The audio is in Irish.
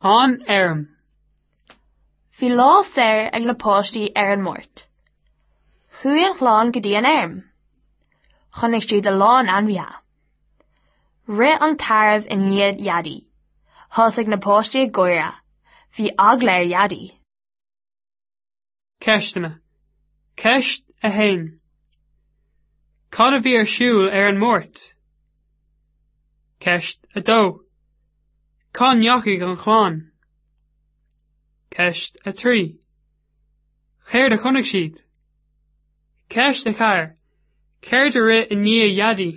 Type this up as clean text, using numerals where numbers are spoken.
An fheirm. Bhí lá saor ag na páistí ar an Máirt. Chuaigh an chlann go dtí an fheirm. Chonaic siad a lán ainmhithe. Rith an tarbh i ndiaidh Dhaidí. Thosaigh na páistí ag gáire. Bhí eagla ar Dhaidí. Ceisteanna. Ceist 1. Cad a bhí ar siúl ar an Máirt? Ceist 2. Cá ndeachaigh an chlann? Ceist 3. Céard a chonaic siad? Ceist 4. Céard a rith i ndiaidh Dhaidí?